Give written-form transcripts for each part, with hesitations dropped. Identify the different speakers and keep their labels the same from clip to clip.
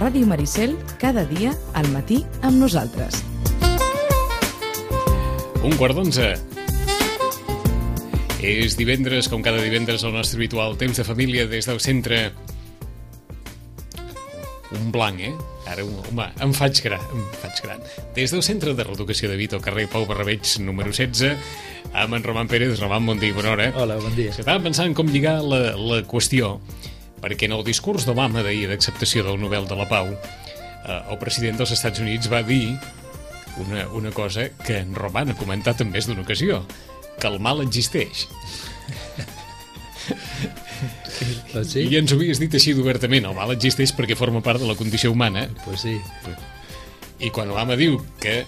Speaker 1: Ràdio Maricel, cada dia al matí amb nosaltres.
Speaker 2: 11:15. És divendres, com cada divendres, el nostre habitual temps de família des del centre... Un blanc, Ara, home, em faig gran. Des del centre de reeducació de Vito, carrer Pau Barrabeig, número 16, amb en Roman Pérez. Roman, bon dia, bona hora.
Speaker 3: Hola, bon dia.
Speaker 2: Estava pensant com lligar la qüestió, perquè en el discurs d'Obama d'ahir d'acceptació del Nobel de la Pau, el president dels Estats Units va dir una cosa que en Roman ha comentat en més d'una ocasió, que el mal existeix.
Speaker 3: Sí?
Speaker 2: I ens ho havies dit així d'obertament, el mal existeix perquè forma part de la condició humana.
Speaker 3: Pues sí.
Speaker 2: I quan Obama diu que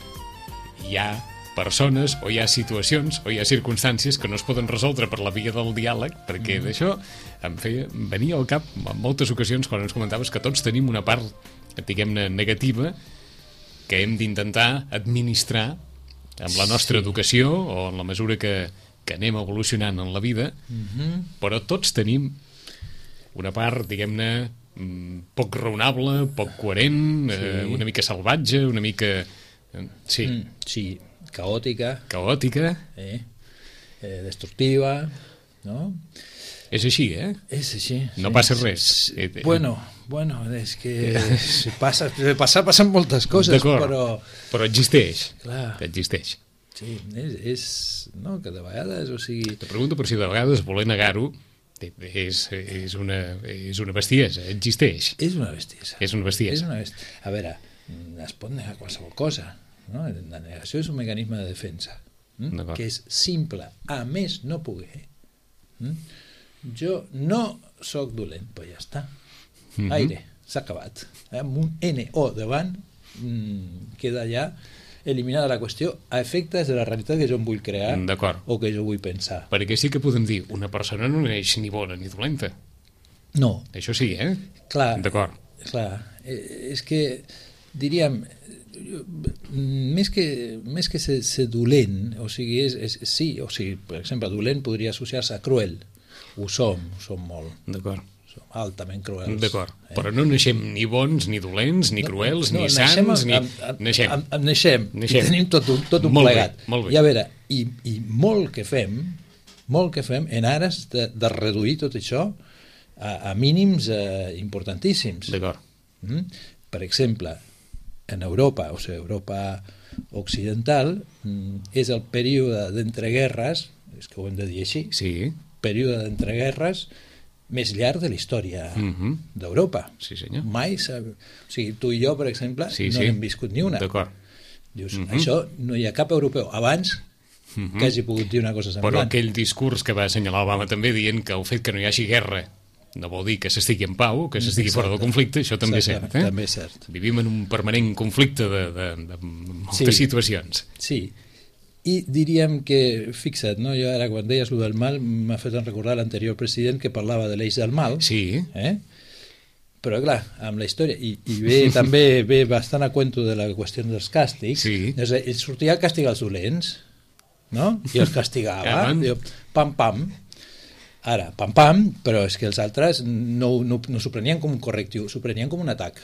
Speaker 2: hi ha persones o hi ha situacions o hi ha circumstàncies que no es poden resoldre per la via del diàleg, perquè d'això em feia venir al cap en moltes ocasions quan ens comentaves que tots tenim una part, diguem-ne, negativa que hem d'intentar administrar amb la nostra educació o en la mesura que anem evolucionant en la vida, però tots tenim una part, diguem-ne, poc raonable, poc coherent, una mica salvatge, una mica...
Speaker 3: Sí, caòtica, destructiva, no?
Speaker 2: És així,
Speaker 3: És així.
Speaker 2: No passa res.
Speaker 3: Bueno, és que passen moltes coses,
Speaker 2: però existeix.
Speaker 3: Clar.
Speaker 2: Existeix.
Speaker 3: Sí, és... No, que de vegades, o sigui...
Speaker 2: Te pregunto per si de vegades voler negar-ho és una bestiesa, existeix.
Speaker 3: És una bestiesa.
Speaker 2: És una bestiesa.
Speaker 3: A veure, es pot negar qualsevol cosa, no? La negació és un mecanisme de defensa, que és simple, a més no poder. Jo no sóc dolent, però ja està. Aire, s'ha acabat. Amb un NO davant queda ja eliminada la qüestió a efectes de la realitat que jo em vull crear o que jo vull pensar.
Speaker 2: Perquè sí que podem dir, una persona no neix ni bona ni dolenta.
Speaker 3: No.
Speaker 2: Això sí,
Speaker 3: Clar.
Speaker 2: D'acord.
Speaker 3: Clar. És que, diríem, més que ser dolent, o sigui, per exemple, dolent podria associar-se a cruel. Ho som molt.
Speaker 2: D'acord.
Speaker 3: Som altament cruels.
Speaker 2: D'acord. Però no naixem ni bons, ni dolents, ni cruels, ni sants, ni...
Speaker 3: Naixem. I tenim tot un plegat.
Speaker 2: Molt bé.
Speaker 3: I a veure, i molt que fem en ares de reduir tot això a mínims importantíssims.
Speaker 2: D'acord.
Speaker 3: Per exemple, en Europa, o sigui, Europa occidental, és el període d'entreguerres, és que ho hem de dir així, període d'entreguerres més llarg de la història d'Europa.
Speaker 2: Sí, senyor.
Speaker 3: Mai o sigui, tu i jo, per exemple, no n'hem viscut ni una.
Speaker 2: D'acord.
Speaker 3: Dius, això no hi ha cap europeu abans que hagi pogut dir una cosa semblant.
Speaker 2: Però aquell discurs que va assenyalar Obama també dient que el fet que no hi hagi guerra no vol dir que s'estigui en pau, que s'estigui fora del conflicte, això també és cert.
Speaker 3: També és cert.
Speaker 2: Vivim en un permanent conflicte de moltes situacions.
Speaker 3: Sí. I diríem que, fixa't, no? Jo ara quan deies allò del mal m'ha fet recordar l'anterior president que parlava de l'eix del mal.
Speaker 2: Sí.
Speaker 3: Però clar, amb la història, i també ve bastant a cuento de la qüestió dels càstigs, ell sortia a castigar els dolents, no? I els castigava, pam, pam. Ara, pam, pam, però és que els altres no s'ho prenien com un correctiu, s'ho prenien com un atac.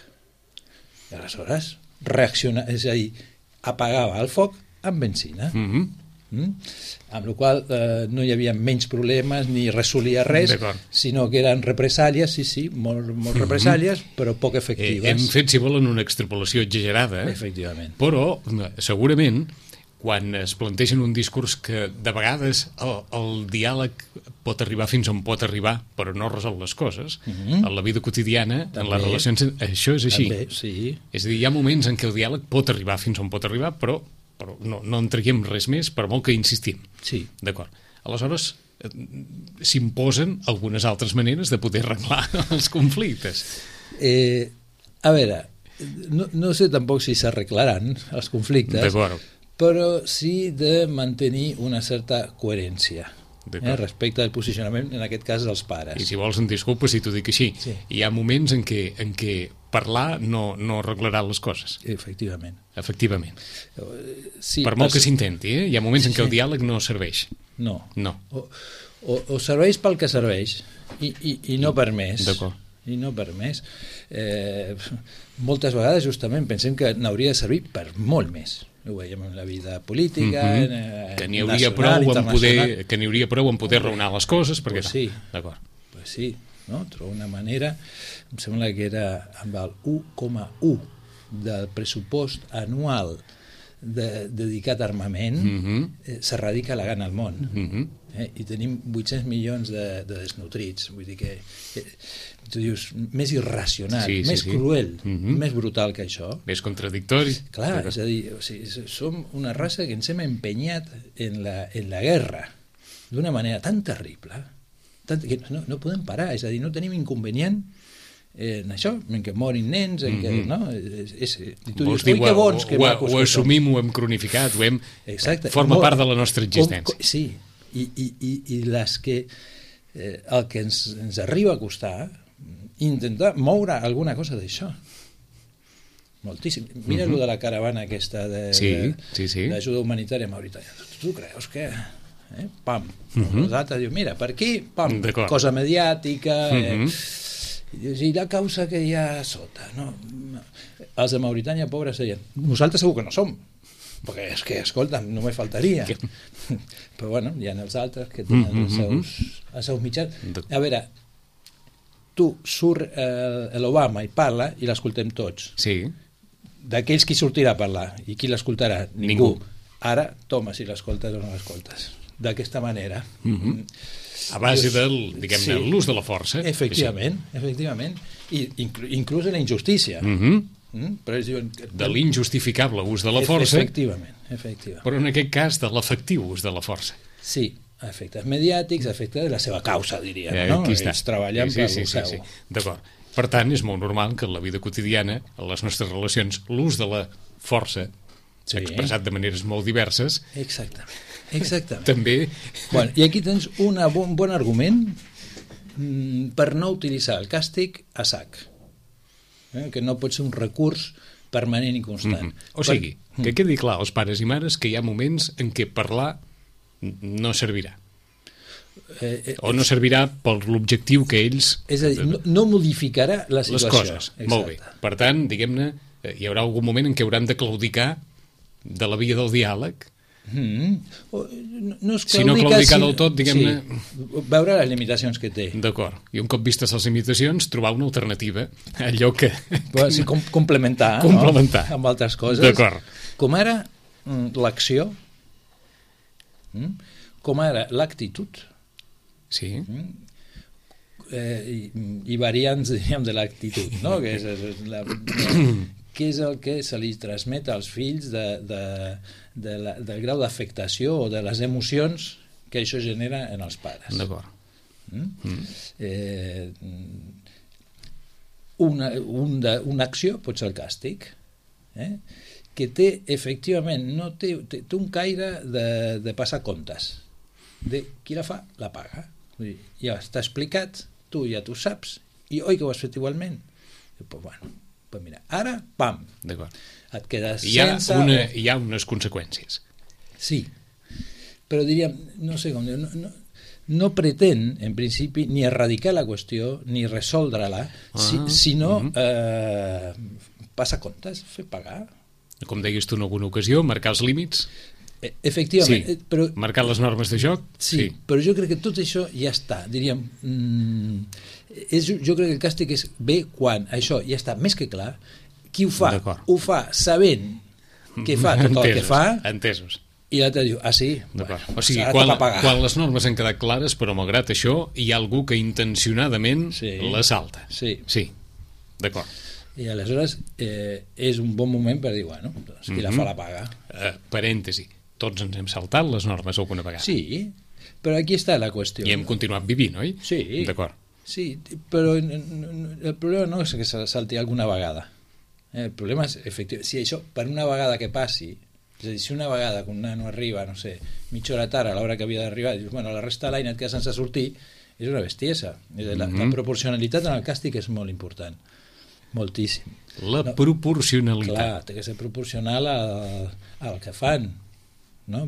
Speaker 3: I aleshores reacciona, és a dir, apagava el foc amb benzina. Amb la qual no hi havia menys problemes ni resolia res, sinó que eren represàlies, molt represàlies, però poc efectives.
Speaker 2: Hem fet, si volen, una extrapolació exagerada,
Speaker 3: efectivament.
Speaker 2: Però segurament quan es plantegen un discurs que de vegades el diàleg pot arribar fins on pot arribar, però no resol les coses, en la vida quotidiana, en les relacions, això és així. És a dir, hi ha moments en què el diàleg pot arribar fins on pot arribar, però no en traiem res més, per molt que insistim.
Speaker 3: Sí.
Speaker 2: D'acord. Aleshores, s'imposen algunes altres maneres de poder arreglar els conflictes.
Speaker 3: A veure, no sé tampoc si s'arreglaran els conflictes, però sí de mantenir una certa coherència respecte al posicionament, en aquest cas, dels pares.
Speaker 2: I si vols en disculpa si t'ho dic així. Hi ha moments en què parlar no arreglarà les coses.
Speaker 3: Efectivament.
Speaker 2: Per molt que s'intenti, hi ha moments en què el diàleg no serveix.
Speaker 3: No. O serveix pel que serveix i no per més.
Speaker 2: D'acord.
Speaker 3: i no per més. Moltes vegades justament pensem que n'hauria de servir per molt més. Ho veiem en la vida política,
Speaker 2: que n'hi hauria prou en poder raonar les coses, perquè
Speaker 3: pues sí, d'acord. Pues sí, no? Trobo una manera, em sembla que era amb el 1,1 del pressupost anual dedicat a armament, s'erradica la gana al món. I tenim 800 milions de desnutrits. Vull dir que tu dius, més irracional, més cruel, més brutal que això.
Speaker 2: Més contradictori.
Speaker 3: Clar, és a dir, som una raça que ens hem empenyat en la guerra d'una manera tan terrible que no podem parar, és a dir, no tenim inconvenient en això, en què morin nens, en què, no? Tu dius, oi, que bons que macos que som.
Speaker 2: Ho assumim, ho hem cronificat, forma part de la nostra existència.
Speaker 3: Sí, i les que el que ens arriba a costar intentar moure alguna cosa d'això. Moltíssim. Mira lo de la caravana aquesta d'ajuda humanitària a Mauritània. Tu creus que... Pam. Nosaltres diu, mira, per aquí, pam, cosa mediàtica... I la causa que hi ha sota, no? Els de Mauritània, pobres, deien, nosaltres segur que no som, perquè és que, escolta, no me faltaria. Però bueno, hi ha els altres que tenen els seus mitjans. A veure, tu surt l'Obama i parla i l'escoltem tots.
Speaker 2: Sí.
Speaker 3: D'aquells qui sortirà a parlar i qui l'escoltarà? Ningú. Ara, toma, si l'escoltes o no l'escoltes. D'aquesta manera.
Speaker 2: A base del, diguem-ne, l'ús de la força.
Speaker 3: Efectivament. I inclús en la injustícia. Però ells diuen...
Speaker 2: De l'injustificable ús de la força.
Speaker 3: Efectivament.
Speaker 2: Però en aquest cas de l'efectiu ús de la força.
Speaker 3: Sí, a efectes mediàtics, a efectes de la seva causa, diríem.
Speaker 2: Aquí està.
Speaker 3: Ells treballen per lo seu.
Speaker 2: D'acord. Per tant, és molt normal que en la vida quotidiana, en les nostres relacions, l'ús de la força, expressat de maneres molt diverses... Exactament. També...
Speaker 3: Bueno, i aquí tens un bon argument per no utilitzar el càstig a sac. Que no pot ser un recurs permanent i constant.
Speaker 2: O sigui, que quedi clar als pares i mares que hi ha moments en què parlar no servirà. O no servirà per l'objectiu que ells...
Speaker 3: És a dir, no modificarà la situació.
Speaker 2: Les coses. Molt bé. Per tant, diguem-ne, hi haurà algun moment en què hauran de claudicar de la via del diàleg.
Speaker 3: No es
Speaker 2: si no claudicar del tot, diguem-ne...
Speaker 3: Veure les limitacions que té.
Speaker 2: D'acord. I un cop vistes les limitacions, trobar una alternativa. Allò que...
Speaker 3: Complementar,
Speaker 2: no?
Speaker 3: Amb altres coses.
Speaker 2: D'acord.
Speaker 3: Com ara l'acció, com ara l'actitud,
Speaker 2: sí.
Speaker 3: I variants, diríem, de l'actitud, no? Que què és el que se li transmet als fills del grau d'afectació o de les emocions que això genera en els pares.
Speaker 2: D'acord.
Speaker 3: Una acció pot ser el càstig, que té, efectivament, té un caire de passar comptes. De qui la fa, la paga. Ja està explicat, tu ja t'ho saps, i oi que ho has fet igualment? Doncs bueno, pues mira, ara, pam, et quedes sense...
Speaker 2: Hi ha unes conseqüències.
Speaker 3: Sí, però diríem, no sé com dir, no pretén, en principi, ni erradicar la qüestió, ni resoldre-la, sinó passar comptes, fer pagar.
Speaker 2: Com deies tu en alguna ocasió, marcar els límits...
Speaker 3: Efectivament.
Speaker 2: Sí, però, marcar les normes de joc.
Speaker 3: Sí, però jo crec que tot això ja està, diríem... jo crec que el càstig és bé quan això ja està més que clar, qui ho fa, ho fa sabent que fa tot el que fa.
Speaker 2: Entesos.
Speaker 3: I l'altre diu, sí,
Speaker 2: o sigui, quan les normes han quedat clares, però malgrat això hi ha algú que intencionadament la salta. Sí, d'acord.
Speaker 3: I aleshores és un bon moment per dir, bueno, doncs qui la fa la paga.
Speaker 2: Parèntesi, tots ens hem saltat les normes alguna vegada.
Speaker 3: Sí, però aquí està la qüestió.
Speaker 2: I hem continuat vivint, oi?
Speaker 3: Sí.
Speaker 2: D'acord.
Speaker 3: Sí, però el problema no és que se salti alguna vegada. El problema és, efectivament, si això per una vegada que passi, és a dir, si una vegada que un nano arriba, no sé, mitja hora tard a l'hora que havia d'arribar, dius, bueno, la resta de l'any et quedes sense sortir, és una bestiesa. La proporcionalitat en el càstig és molt important. Moltíssim.
Speaker 2: La proporcionalitat.
Speaker 3: Clar, té que ser proporcional al que fan. no?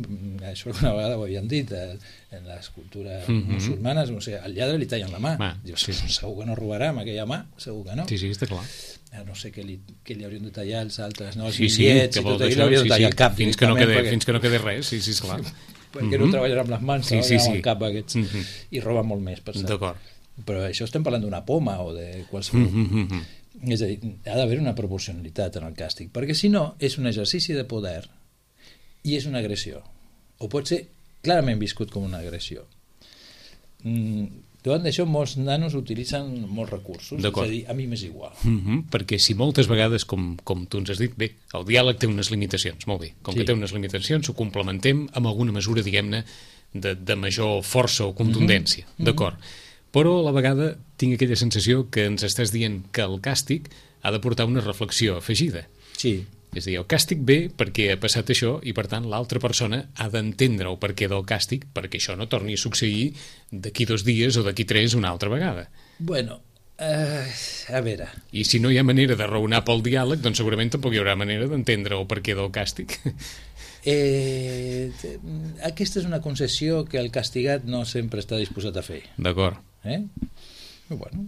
Speaker 3: Això alguna vegada ho havien dit en les cultures musulmanes, o sigui, al lladre li tallen la mà. Dius, segur que no robarà amb aquella mà, segur que no.
Speaker 2: Sí, està clar.
Speaker 3: No sé què li haurien de tallar els altres, no? Els
Speaker 2: bitllets
Speaker 3: i tot allò, l'haurien de tallar el cap
Speaker 2: fins que no quede res, sí, esclar.
Speaker 3: Perquè no treballen amb les mans, amb el cap aquests, i roben molt més, per cert.
Speaker 2: D'acord.
Speaker 3: Però això estem parlant d'una poma o de qualsevol... És a dir, ha d'haver una proporcionalitat en el càstig, perquè si no és un exercici de poder i és una agressió, o pot ser clarament viscut com una agressió. Davant d'això molts nanos utilitzen molts recursos, és a dir, a mi m'és igual.
Speaker 2: Perquè si moltes vegades, com tu ens has dit, bé, el diàleg té unes limitacions, molt bé, com que té unes limitacions ho complementem amb alguna mesura, diguem-ne, de major força o contundència, d'acord. Però a la vegada tinc aquella sensació que ens estàs dient que el càstig ha de portar una reflexió afegida.
Speaker 3: Sí.
Speaker 2: És a dir, el càstig ve perquè ha passat això i, per tant, l'altra persona ha d'entendre el perquè del càstig perquè això no torni a succeir d'aquí 2 dies o d'aquí 3 una altra vegada.
Speaker 3: Bueno, a veure...
Speaker 2: I si no hi ha manera de raonar pel diàleg, doncs segurament tampoc hi haurà manera d'entendre el perquè del càstig.
Speaker 3: Aquesta és una concessió que el castigat no sempre està disposat a fer.
Speaker 2: D'acord.
Speaker 3: Bueno,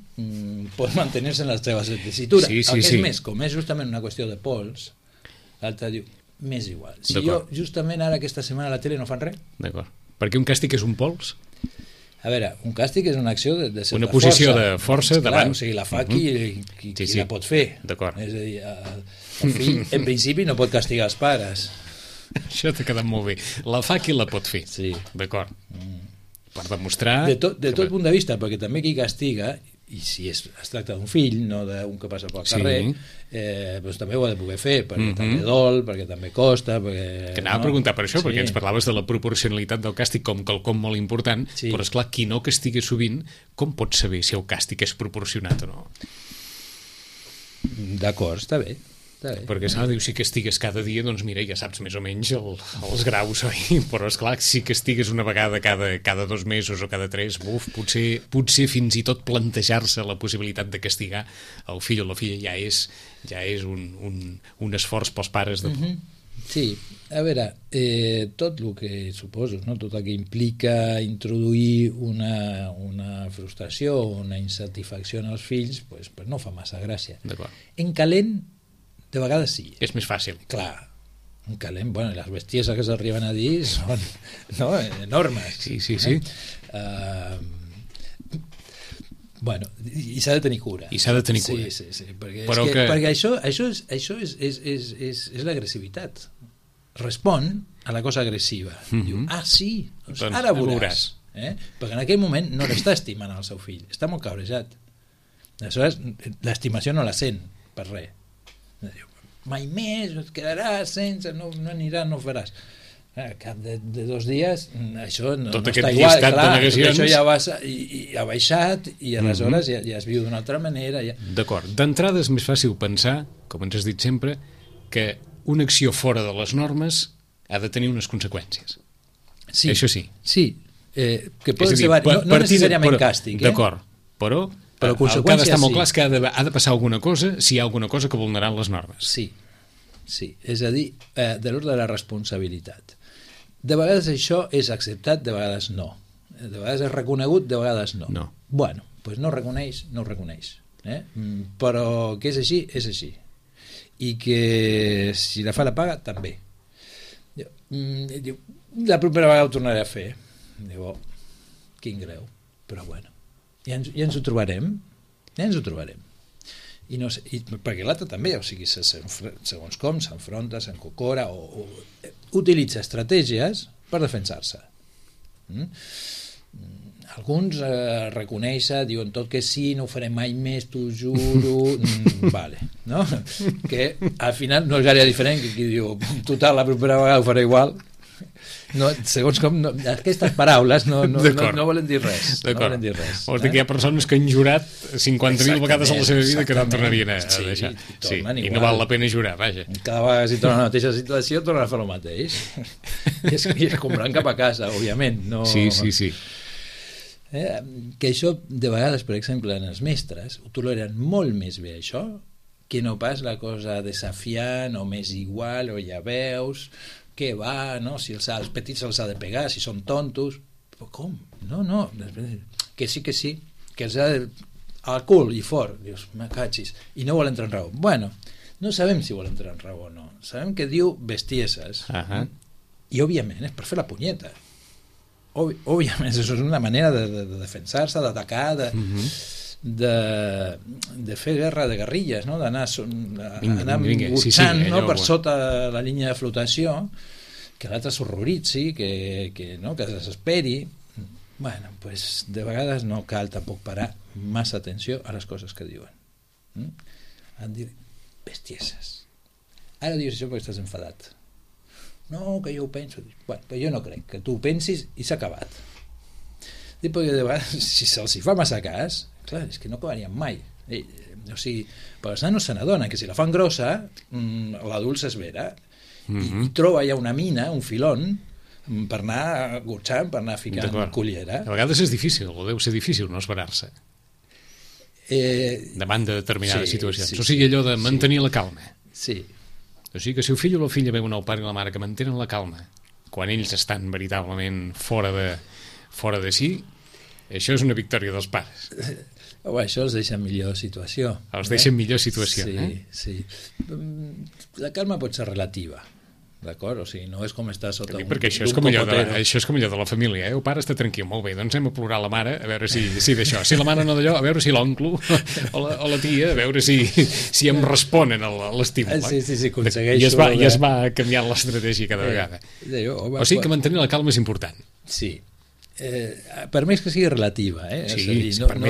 Speaker 3: pot mantenir-se en la seva tessitura.
Speaker 2: Sí,
Speaker 3: el que és més, com és justament una qüestió de pols, l'altre diu, m'és igual. Si jo justament ara aquesta setmana a la tele no fan res...
Speaker 2: D'acord. Perquè un càstig és un pols?
Speaker 3: A veure, un càstig és una acció de certa força.
Speaker 2: Una posició de força davant...
Speaker 3: O sigui, la fa qui la pot fer.
Speaker 2: D'acord.
Speaker 3: És a dir, el fill, en principi, no pot castigar els pares.
Speaker 2: Això t'ha quedat molt bé. La fa qui la pot fer.
Speaker 3: Sí.
Speaker 2: D'acord. Per demostrar...
Speaker 3: De tot punt de vista, perquè també qui castiga, i si es tracta d'un fill, no d'un que passa pel carrer, doncs també ho ha de poder fer, perquè també dol, perquè també costa...
Speaker 2: Que anava a preguntar per això, perquè ens parlaves de la proporcionalitat del càstig com quelcom molt important, però esclar, qui no castiga sovint, com pot saber si el càstig és proporcionat o no?
Speaker 3: D'acord, està bé.
Speaker 2: Perquè diu, si castigues cada dia, doncs mira, ja saps més o menys els graus, oi? Però esclar, si castigues una vegada cada 2 mesos o cada 3, potser fins i tot plantejar-se la possibilitat de castigar el fill o la filla ja és un esforç pels pares de...
Speaker 3: Sí, a veure, tot el que suposo, no? Tot el que implica introduir una frustració o una insatisfacció en els fills, pues no fa massa gràcia. En calent, de vegades sí.
Speaker 2: És més fàcil.
Speaker 3: Clar, en calent, bueno, les bestieses que s'arriben a dir són enormes.
Speaker 2: Sí.
Speaker 3: Bueno, i s'ha de tenir cura. Sí, perquè això és l'agressivitat. Respon a la cosa agressiva. Diu, sí, doncs ara veuràs. Perquè en aquell moment no l'està estimant el seu fill, està molt cabrejat. Aleshores, l'estimació no la sent per res. Mai més, et quedaràs sense, no aniràs, no ho faràs. Al cap de 2 dies això no està igual, clar, això ja ha baixat i aleshores ja es viu d'una altra manera.
Speaker 2: D'acord, d'entrada és més fàcil pensar, com ens has dit sempre, que una acció fora de les normes ha de tenir unes conseqüències.
Speaker 3: Sí,
Speaker 2: això sí.
Speaker 3: Sí, que poden ser no necessàriament càstig.
Speaker 2: D'acord, però el que ha d'estar molt clar és que ha de passar alguna cosa si hi ha alguna cosa que vulneran les normes.
Speaker 3: Sí, és a dir, de l'ordre de la responsabilitat. De vegades això és acceptat, de vegades no. De vegades és reconegut, de vegades no. Bueno, doncs no reconeix. Però que és així. I que si la fa la paga, també. Diu, la propera vegada ho tornaré a fer. Diu, quin greu. Però bueno, ja ens ho trobarem. I no sé, perquè l'altre també, o sigui, segons com s'enfronta, s'encocora o utilitza estratègies per defensar-se. Alguns reconeixen, diuen tot que sí, no ho faré mai més, t'ho juro, vale, no? Que al final no és gaire diferent que qui diu, total, la propera vegada ho faré igual. No, segons com, aquestes paraules no volen dir res.
Speaker 2: Vols dir que hi ha persones que han jurat 50.000 vegades a la seva vida que no tornarien a deixar. I no val la pena jurar, vaja.
Speaker 3: Cada vegada si torna a la mateixa situació torna a fer el mateix. I es compraran cap a casa, òbviament.
Speaker 2: Sí.
Speaker 3: Que això, de vegades, per exemple, en els mestres, ho toleren molt més bé, això, que no pas la cosa desafiant o més igual, o ja veus... què va, no? Si els petits se'ls ha de pegar, si són tontos. Però com? No. Que sí, que els ha de... al cul i fort. Dius, me cachis. I no vol entrar en raó. Bueno, no sabem si vol entrar en raó o no. Sabem que diu bestieses. I, òbviament, és per fer la punyeta. Òbviament, això és una manera de defensar-se, d'atacar, de fer guerra de guerrilles, no? D'anar burxant, no? Per sota la línia de flotació, que l'altre s'horroritzi, que desesperi. Bueno, pues de vegades no cal tampoc parar massa atenció a les coses que diuen. Han dit bestieses. Ara dius això perquè estàs enfadat. No, que jo ho penso. Bueno, però jo no crec que tu ho pensis i s'ha acabat. Perquè de vegades, si se'ls fa massa cas, clar, és que no acabarien mai. O sigui, però els nanos se n'adonen que si la fan grossa, l'adult s'esvera i troba ja una mina, un filón, per anar gotxant, per anar ficant cullera.
Speaker 2: A vegades és difícil, o deu ser difícil no esperar-se davant de determinades situacions. O sigui, allò de mantenir la calma.
Speaker 3: Sí.
Speaker 2: O sigui que si el fill o la filla veuen el pare i la mare que mantenen la calma quan ells estan veritablement fora de si, això és una victòria dels pares.
Speaker 3: Això els deixa en millor situació.
Speaker 2: Els deixa en millor situació.
Speaker 3: Sí. La calma pot ser relativa, d'acord? O sigui, no és com estar sota
Speaker 2: perquè això és com allò de la família, El pare està tranquil, molt bé, doncs anem a plorar la mare a veure si d'això, si la mare no d'allò, a veure si l'oncle o la tia, a veure si em responen a l'estímul.
Speaker 3: Sí, aconsegueixo.
Speaker 2: I es va canviant l'estratègia cada vegada. O sigui que mantenir la calma és important.
Speaker 3: Sí. Per més que sigui relativa,
Speaker 2: Sí, per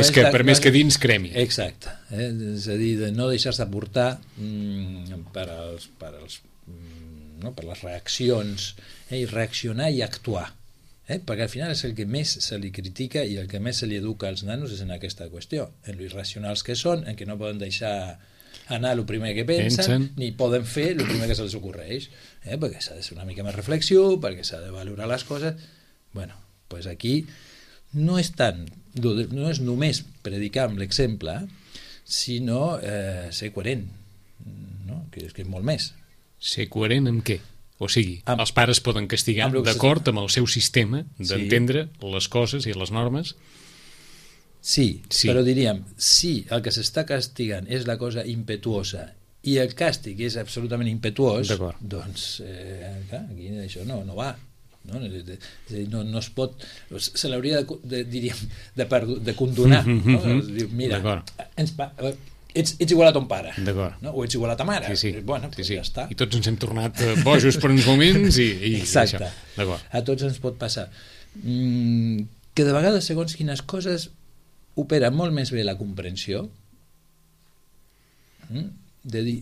Speaker 2: més que dins cremi.
Speaker 3: Exacte. És a dir, de no deixar-se portar per les reaccions, i reaccionar i actuar, perquè al final és el que més se li critica i el que més se li educa als nanos és en aquesta qüestió, en lo irracionals que són, en que no poden deixar anar el primer que pensen, ni poden fer el primer que se'ls ocorreix, perquè s'ha de ser una mica més reflexiu, perquè s'ha de valorar les coses. Bueno, doncs aquí no és només predicar amb l'exemple, sinó ser coherent, no? Que és molt més.
Speaker 2: Ser coherent amb què? O sigui, els pares poden castigar d'acord amb el seu sistema d'entendre les coses i les normes?
Speaker 3: Sí, però diríem, si el que s'està castigant és la cosa impetuosa i el càstig és absolutament impetuós, doncs aquí això no va. No es pot, se l'hauria de condonar. Mira, ets igual a ton pare, no? O ets igual a ta mare. Bueno, ja està.
Speaker 2: I tots ens hem tornat bojos per uns moments i
Speaker 3: exacte. A tots ens pot passar. Que de vegades, segons quines coses, opera molt més bé la comprensió de dir,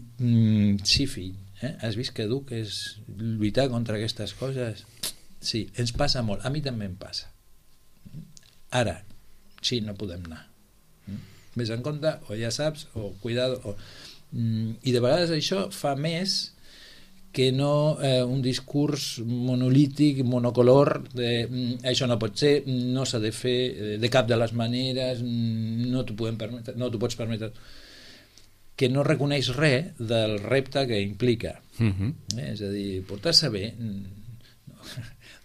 Speaker 3: sí, fill, has vist que dur que és lluitar contra aquestes coses? Sí, ens passa molt. A mi també em passa. Ara, sí, no podem anar. Ves en compte, o ja saps, o cuidado. I de vegades això fa més que no un discurs monolític, monocolor, de això no pot ser, no s'ha de fer de cap de les maneres, no t'ho pots permetre, que no reconeix res del repte que implica. És a dir, portar-se bé...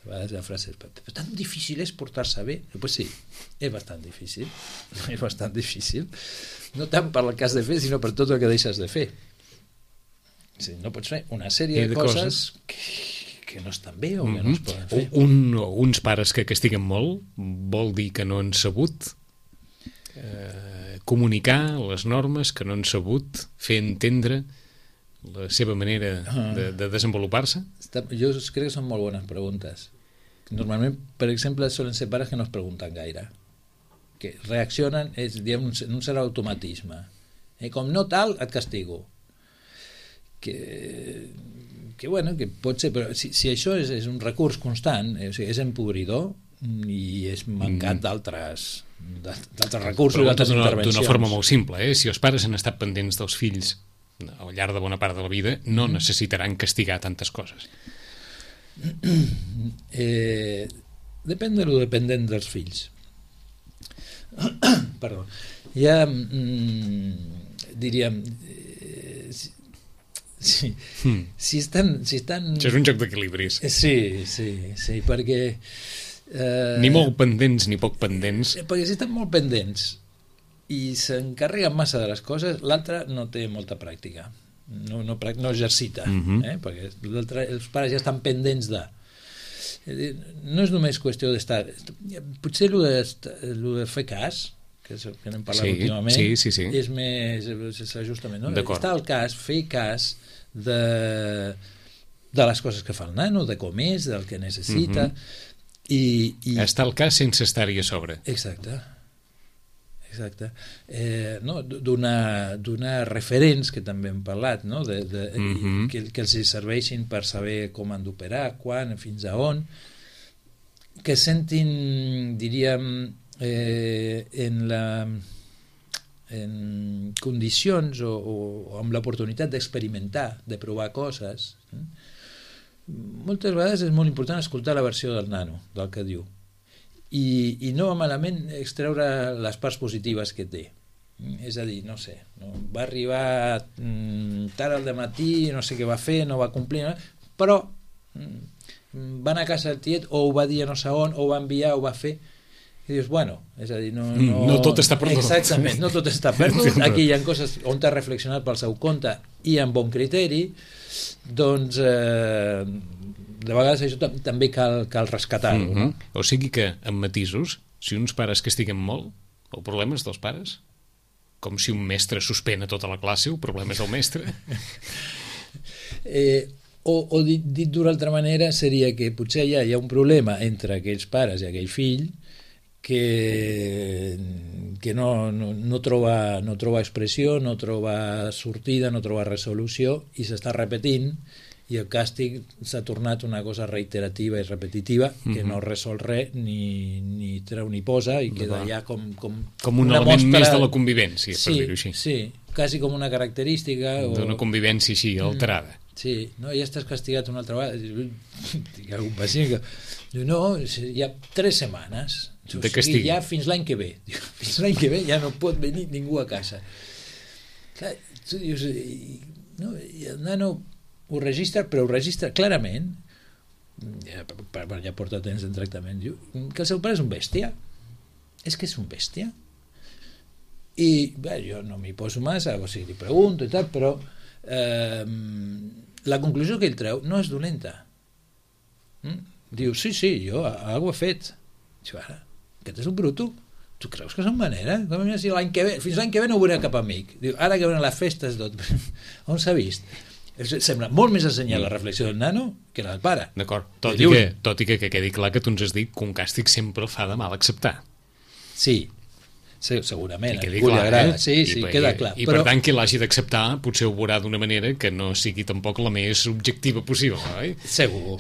Speaker 3: A vegades la frase és, però tan difícil és portar-se bé? Doncs sí, és bastant difícil. No tant per el que has de fer, sinó per tot el que deixes de fer. No pots fer una sèrie de coses que no estan bé o que no es poden fer.
Speaker 2: Uns pares que castiguen molt vol dir que no han sabut comunicar les normes, que no han sabut fer entendre la seva manera de desenvolupar-se?
Speaker 3: Jo crec que són molt bones preguntes. Normalment, per exemple, solen ser pares que no es pregunten gaire, que reaccionen, és diguem, un cert automatisme. Com no tal, et castigo. Que pot ser, però si això és un recurs constant, o sigui, és empobridor i és mancat d'altres recursos, d'altres intervencions.
Speaker 2: D'una forma molt simple, si els pares han estat pendents dels fills al llarg de bona part de la vida, no necessitaran castigar tantes coses.
Speaker 3: Depèn de lo dependent dels fills. Perdó. Ja diríem, Sí. Si estan...
Speaker 2: Això és un joc d'equilibris.
Speaker 3: Sí, perquè...
Speaker 2: Ni molt pendents ni poc pendents.
Speaker 3: Perquè si estan molt pendents i s'encarreguen massa de les coses, l'altre no té molta pràctica, no exercita, perquè l'altre, els pares ja estan pendents de... No és només qüestió d'estar... Potser el de fer cas, que és el que n'hem parlat últimament, és més ajustament, no? Està al cas, fer cas de les coses que fa el nano, de com és, del que necessita...
Speaker 2: Està al cas sense estar-hi a sobre.
Speaker 3: Exacte. No? Donar referents, que també hem parlat, no? Que els serveixin per saber com han d'operar, quan, fins a on, que sentin, diríem, en condicions o amb l'oportunitat d'experimentar, de provar coses. Moltes vegades és molt important escoltar la versió del nano, del que diu, i no va malament extreure les parts positives que té. És a dir, no sé, va arribar tard al dematí, no sé què va fer, no va complir, però va anar a casa del tiet, o ho va dir a no sé on, o ho va enviar, o ho va fer, i dius, bueno, és a dir,
Speaker 2: no tot està perdut.
Speaker 3: Exactament, no tot està perdut. Aquí hi ha coses on t'has reflexionat pel seu compte i amb bon criteri, doncs de vegades això també cal rescatar-ho. No?
Speaker 2: O sigui que, amb matisos, si uns pares castiguen molt, el problema és dels pares? Com si un mestre suspèn a tota la classe, el problema és del mestre?
Speaker 3: O dit d'una altra manera, seria que potser hi ha un problema entre aquells pares i aquell fill que no troba expressió, no troba sortida, no troba resolució, i s'està repetint, i el càstig s'ha tornat una cosa reiterativa i repetitiva que no resol res, ni treu ni posa, i queda ja com
Speaker 2: un element més de la convivència, per dir-ho així.
Speaker 3: Sí, quasi com una característica
Speaker 2: d'una convivència així alterada.
Speaker 3: Sí, no, ja estàs castigat una altra vegada. Tinc algun pacient que diu, no, hi ha 3 setmanes
Speaker 2: de castig.
Speaker 3: Ja fins l'any que ve. Fins l'any que ve ja no pot venir ningú a casa. Clar, tu dius, no, el nano ho registra, però ho registra clarament, ja porta temps en tractament, diu que el seu pare és un bèstia. És que és un bèstia. I bé, jo no m'hi poso massa, o sigui, li pregunto i tal, però la conclusió que ell treu no és dolenta. Diu, sí, jo algo he fet. Diu, ara, aquest és un bruto. Tu creus que són manera? Si fins l'any que ve no veuré cap amic. Diu, ara que venen les festes tot. On s'ha vist? Sembla molt més assenyar la reflexió del nano que la del pare.
Speaker 2: D'acord, tot i que quedi clar que tu ens has dit que un càstig sempre fa de mal acceptar.
Speaker 3: Sí, segurament, a ningú li agrada. Sí, queda clar.
Speaker 2: I per tant, qui l'hagi d'acceptar potser ho veurà d'una manera que no sigui tampoc la més objectiva possible, oi?
Speaker 3: Segur.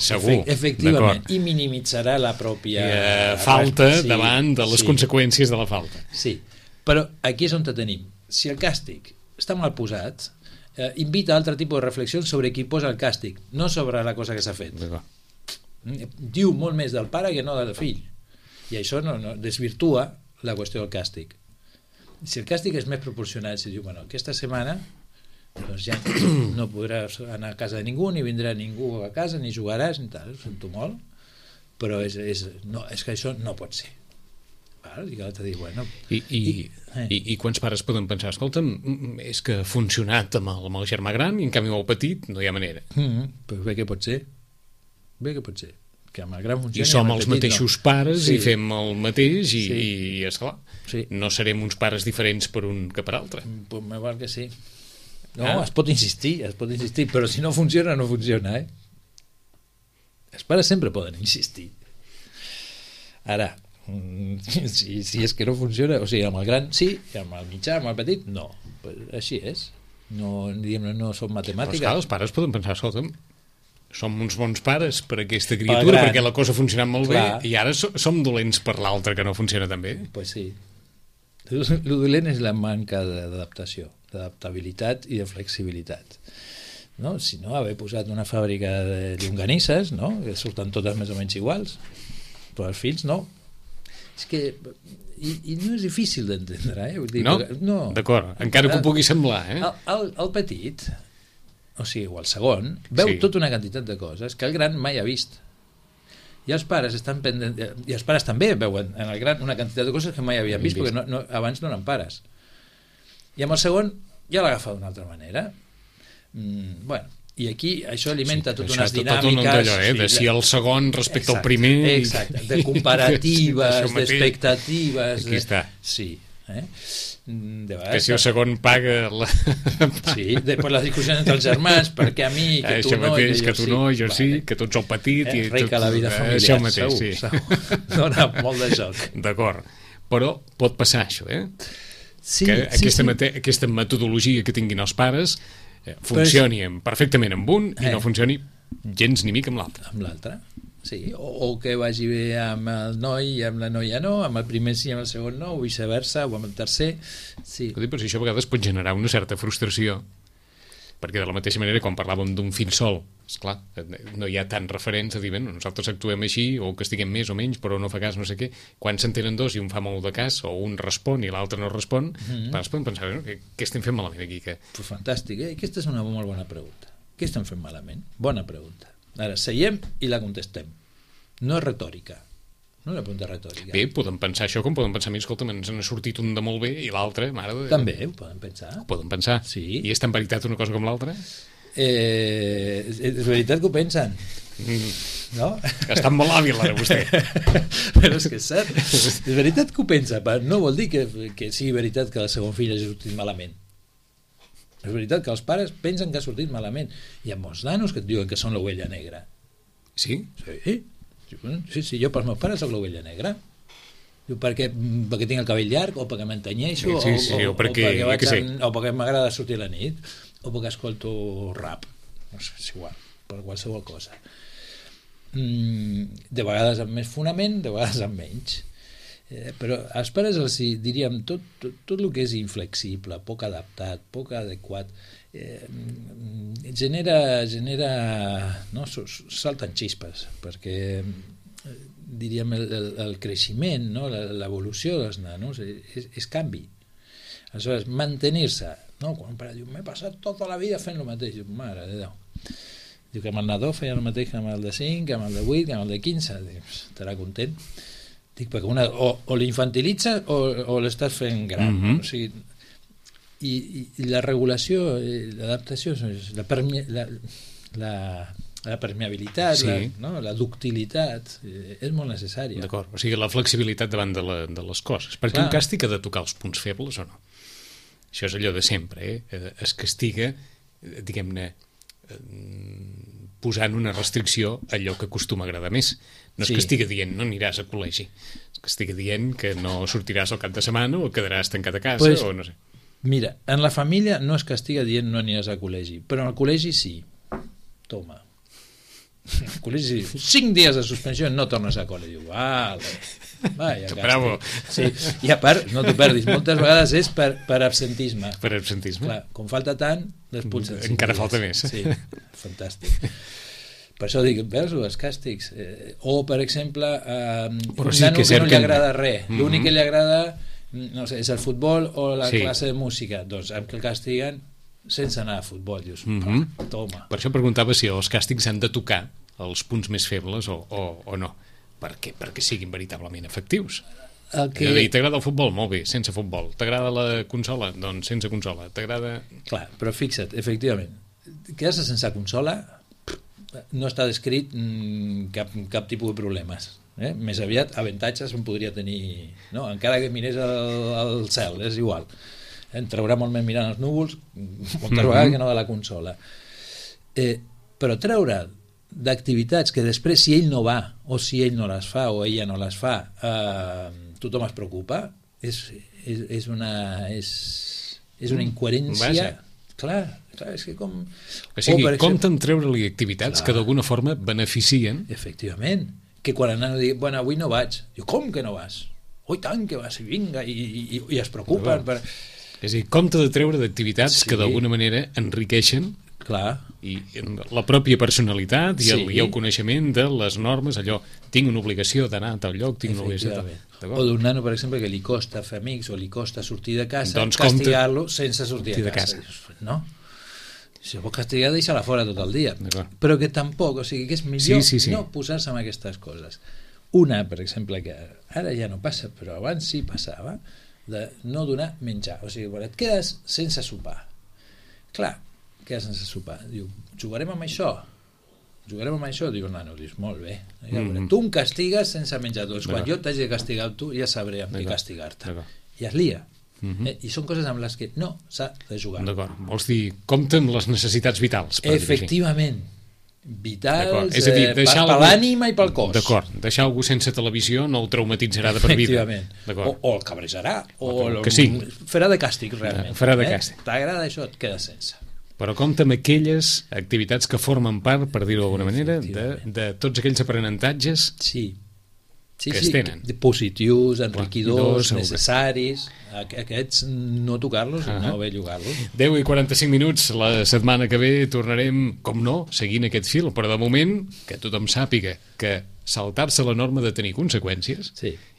Speaker 3: Efectivament. I minimitzarà la pròpia
Speaker 2: falta davant de les conseqüències de la falta.
Speaker 3: Sí, però aquí és on te tenim. Si el càstig està mal posat, invita a altre tipus de reflexions sobre qui posa el càstig, no sobre la cosa que s'ha fet. Diu molt més del pare que no del fill, i això no desvirtua la qüestió del càstig. Si el càstig és més proporcionat, si diu, bueno, aquesta setmana doncs ja no podràs anar a casa de ningú, ni vindrà ningú a casa, ni jugaràs, ni tal, ho sento molt, però és que això no pot ser.
Speaker 2: I quants pares poden pensar, escolta'm, és que ha funcionat amb el germà gran i en canvi amb el petit no hi ha manera.
Speaker 3: Però bé que pot ser, que amb el gran funcioni,
Speaker 2: i som els mateixos pares i fem el mateix i esclar, no serem uns pares diferents per un que per altre.
Speaker 3: Pues me val que sí. No, es pot insistir, però si no funciona, no funciona, Els pares sempre poden insistir. Ara, si és que no funciona, o sigui, amb el gran sí, i amb el mitjà, amb el petit no, pues així és, no són matemàtiques.
Speaker 2: Però els pares poden pensar, escolta'm, som uns bons pares per aquesta criatura, perquè la cosa ha funcionat molt bé, i ara som dolents per l'altre que no funciona tan bé.
Speaker 3: Pues sí, el dolent és la manca d'adaptació, d'adaptabilitat i de flexibilitat. No? Si no, haver posat una fàbrica de llonganisses, no? Que surten totes més o menys iguals, però els fills no. És que i no és difícil d'entendre, Vull dir,
Speaker 2: no? D'acord, encara que ho pugui semblar,
Speaker 3: El petit o sigui, o el segon, veu tota una quantitat de coses que el gran mai ha vist. I els pares estan pendents, i els pares també veuen en el gran una quantitat de coses que mai havien vist, perquè abans no eren pares. I amb el segon ja l'agafa d'una altra manera. Bueno, i aquí això alimenta totes unes dinàmiques
Speaker 2: de si el segon respecte al primer,
Speaker 3: de comparatives, d'expectatives.
Speaker 2: Aquí està.
Speaker 3: Sí,
Speaker 2: que si el segon paga
Speaker 3: sí, després les discussions entre els germans, perquè a mi, que tu no,
Speaker 2: que tu no, jo sí, que tu ets el petit i
Speaker 3: rica la vida familiar,
Speaker 2: això mateix,
Speaker 3: segur. Dona molt de joc.
Speaker 2: D'acord, però pot passar això,
Speaker 3: Sí,
Speaker 2: que aquesta metodologia que tinguin els pares funcioni perfectament amb un i no funcioni gens ni mica amb l'altre.
Speaker 3: Amb l'altre, sí, o que vagi bé amb el noi i amb la noia no, amb el primer sí i amb el segon no, o viceversa, o amb el tercer, sí.
Speaker 2: Però si això a vegades pot generar una certa frustració, perquè de la mateixa manera quan parlàvem d'un fill sol, esclar, no hi ha tant referents a dir, bueno, nosaltres actuem així, o que estiguem més o menys, però no fa cas no sé què. Quan s'entenen dos i un fa molt de cas, o un respon i l'altre no respon, es poden pensar, què estem fent malament aquí?
Speaker 3: Pues fantàstic, aquesta és una molt bona pregunta. Què estem fent malament? Bona pregunta. Ara, seiem i la contestem. No és retòrica. No és una pregunta retòrica.
Speaker 2: Bé, podem pensar això com podem pensar, escolta, ens n'ha sortit un de molt bé i l'altre, mare de...
Speaker 3: També, ho poden pensar.
Speaker 2: Ho poden pensar.
Speaker 3: Sí.
Speaker 2: I és tan veritat una cosa com l'altra?
Speaker 3: És veritat que ho pensen. No?
Speaker 2: Estan molt hàbil ara vostè.
Speaker 3: Però és que és cert. És veritat que ho pensa, però no vol dir que sigui veritat que el segon fill hagi sortit malament. És veritat que els pares pensen que ha sortit malament. Hi ha molts nanos que et diuen que són l'ovella negra.
Speaker 2: Sí?
Speaker 3: Sí, jo pels meus pares soc l'ovella negra. Perquè tinc el cabell llarg, o perquè m'entanyeixo, o perquè m'agrada sortir a la nit, o perquè escolto rap. No sé, és igual, per qualsevol cosa. De vegades amb més fonament, de vegades amb menys. Però als pares els diríem tot el que és inflexible, poc adaptat, poc adequat, genera no, salten xispes, perquè diríem el creixement, no, l'evolució dels nanos és canvi. Aleshores, mantenir-se, no? Quan un pare diu m'he passat tota la vida fent el mateix, diu, mare de Déu, diu que amb el nadó feia el mateix que amb el de 5, que amb el de 8, que amb el de 15, diu, estarà content. Dic, perquè o l'infantilitza o l'estàs fent gran. O sigui, i la regulació, l'adaptació, la permeabilitat, la ductilitat, és molt necessària.
Speaker 2: D'acord, o sigui, la flexibilitat davant de les coses. Perquè un càstig ha de tocar els punts febles o no? Això és allò de sempre, es castiga, diguem-ne, posant una restricció a allò que acostuma a agradar més. No és que estigui dient no aniràs a col·legi, és que estigui dient que no sortiràs al cap de setmana o quedaràs tancat a casa o no sé.
Speaker 3: Mira, en la família no és que estigui dient no aniràs a col·legi, però en el col·legi sí. Toma. El col·legi 5 dies de suspensió no tornes a col·legi. Vaya,
Speaker 2: bravo.
Speaker 3: Sí. I a part, no t'ho perdis, moltes vegades és per absentisme.
Speaker 2: Per absentisme.
Speaker 3: Clar, com falta tant, l'expulsen.
Speaker 2: Encara falta més.
Speaker 3: Sí, fantàstic. Per això dic, veus els càstigs. O, per exemple, un nano que no li agrada res. L'únic que li agrada, no sé, és el futbol o la classe de música. Doncs amb que el castiguen sense anar a futbol. Dius, toma.
Speaker 2: Per això preguntava si els càstigs han de tocar els punts més febles o no. Perquè siguin veritablement efectius. T'agrada el futbol? Molt bé, sense futbol. T'agrada la consola? Doncs sense consola. T'agrada...
Speaker 3: Clar, però fixa't, efectivament, quedar-se sense consola no està descrit cap tipus de problemes. Més aviat, avantatges en podria tenir, no? Encara que mirés al cel, és igual. Em traurà molt més mirant els núvols, moltes vegades que no de la consola. Però treure d'activitats que després, si ell no va, o si ell no les fa, o ella no les fa, tothom es preocupa, és una incoherència...
Speaker 2: Vaja.
Speaker 3: Clar, és que com...
Speaker 2: O sigui, compten treure-li activitats que d'alguna forma beneficien.
Speaker 3: Efectivament. Que quan el nano digui, bueno, avui no vaig. Diu, com que no vas? Oi, tant que vas, vinga, i es preocupen.
Speaker 2: És a dir, compte de treure d'activitats que d'alguna manera enriqueixen i la pròpia personalitat i el coneixement de les normes, allò, tinc una obligació d'anar a tal lloc, tinc una obligació
Speaker 3: o d'un nano, per exemple, que li costa fer amics o li costa sortir de casa, doncs castigar-lo sense sortir de casa. No? Si vol castigar, deixa-la fora tot el dia. Però que tampoc, o sigui, que és millor no posar-se amb aquestes coses. Una, per exemple, que ara ja no passa, però abans sí passava, de no donar menjar. O sigui, et quedes sense sopar. Clar, quedes sense sopar. Diu, jugarem amb això? Diu, nano, dius, molt bé. Tu em castigues sense menjar. Doncs quan jo t'hagi de castigar tu, ja sabré amb què castigar-te. I es lia. I són coses amb les que no s'ha de jugar.
Speaker 2: D'acord, vols dir, compta amb les necessitats vitals.
Speaker 3: Efectivament, vitals, és a dir, per l'ànima i pel cos.
Speaker 2: D'acord, deixar algú sense televisió no el traumatitzarà de per vida.
Speaker 3: Efectivament, o el cabrejarà, o farà de càstig realment. T'agrada això, et quedes sense.
Speaker 2: Però compta amb aquelles activitats que formen part, per dir-ho d'alguna manera, de tots aquells aprenentatges que es tenen.
Speaker 3: Positius, enriquidors, necessaris. Aquests no tocar-los, no bellugar-los.
Speaker 2: 10:45, la setmana que ve tornarem, com no, seguint aquest fil, però de moment que tothom sàpiga que saltar-se la norma de tenir conseqüències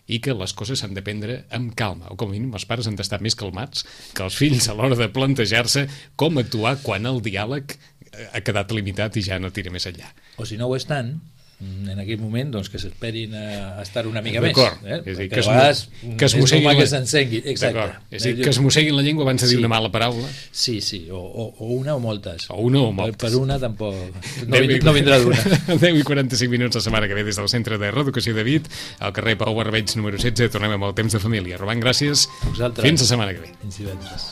Speaker 2: i que les coses s'han de prendre amb calma, o com a mínim els pares han d'estar més calmats que els fills a l'hora de plantejar-se com actuar quan el diàleg ha quedat limitat i ja no tira més enllà.
Speaker 3: O si no ho estan, en aquell moment, doncs que s'esperin a estar una mica més.
Speaker 2: D'acord, és a dir, que es mosseguin que es mosseguin la llengua abans de dir una mala paraula.
Speaker 3: Sí, o una o moltes.
Speaker 2: O una o moltes.
Speaker 3: Per una tampoc no vindrà d'una.
Speaker 2: 10:45 la setmana que ve des del Centre de Reeducació de Vic, al carrer Pau Barbeig número 16. Tornem amb el temps de família. Robant, gràcies.
Speaker 3: Vosaltres.
Speaker 2: Fins la setmana que ve.
Speaker 3: Fins divendres.